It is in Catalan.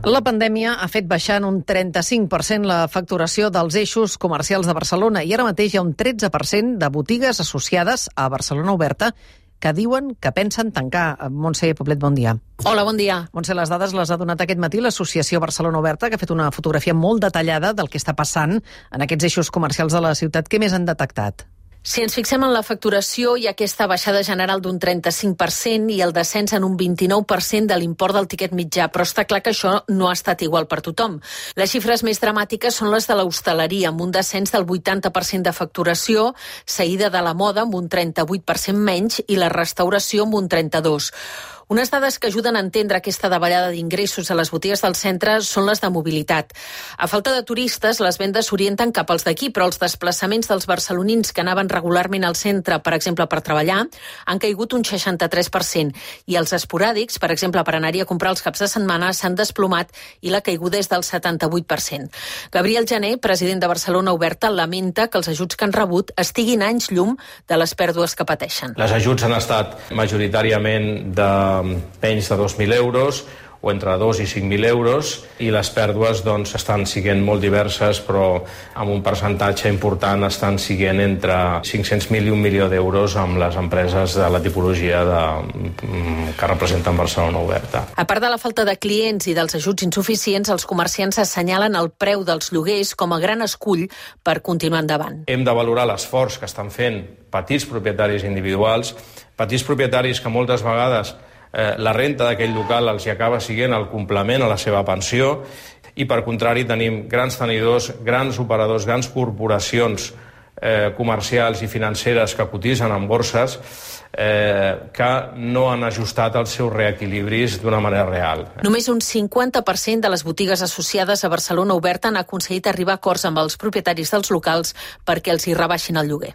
La pandèmia ha fet baixar en un 35% la facturació dels eixos comercials de Barcelona i ara mateix hi ha un 13% de botigues associades a Barcelona Oberta que diuen que pensen tancar. Montse Poblet, bon dia. Hola, bon dia. Montse, les dades les ha donat aquest matí l'Associació Barcelona Oberta, que ha fet una fotografia molt detallada del que està passant en aquests eixos comercials de la ciutat. Què més han detectat? Si ens fixem en la facturació, hi ha aquesta baixada general d'un 35% i el descens en un 29% de l'import del tiquet mitjà, però està clar que això no ha estat igual per tothom. Les xifres més dramàtiques són les de l'hostaleria, amb un descens del 80% de facturació, seguida de la moda amb un 38% menys i la restauració amb un 32%. Unes dades que ajuden a entendre aquesta davallada d'ingressos a les botigues del centre són les de mobilitat. A falta de turistes, les vendes s'orienten cap als d'aquí, però els desplaçaments dels barcelonins que anaven regularment al centre, per exemple, per treballar, han caigut un 63%, i els esporàdics, per exemple, per anar-hi a comprar els caps de setmana, s'han desplomat i la caiguda és del 78%. Gabriel Jané, president de Barcelona Oberta, lamenta que els ajuts que han rebut estiguin anys llum de les pèrdues que pateixen. Les ajuts han estat majoritàriament de menys de 2.000 euros o entre 2 i 5.000 euros i les pèrdues estan sent molt diverses, però amb un percentatge important estan sent entre 500.000 i 1 milió d'euros amb les empreses de la tipologia que representen Barcelona Oberta. A part de la falta de clients i dels ajuts insuficients, els comerciants assenyalen el preu dels lloguers com a gran escull per continuar endavant. Hem de valorar l'esforç que estan fent petits propietaris individuals, petits propietaris que moltes vegades la renta d'aquell local els hi acaba sent el complement a la seva pensió i, per contrari, tenim grans tenidors, grans operadors, grans corporacions comercials i financeres que cotitzen en borses que no han ajustat els seus reequilibris d'una manera real. Només un 50% de les botigues associades a Barcelona Oberta han aconseguit arribar a acords amb els propietaris dels locals perquè els hi rebaixin el lloguer.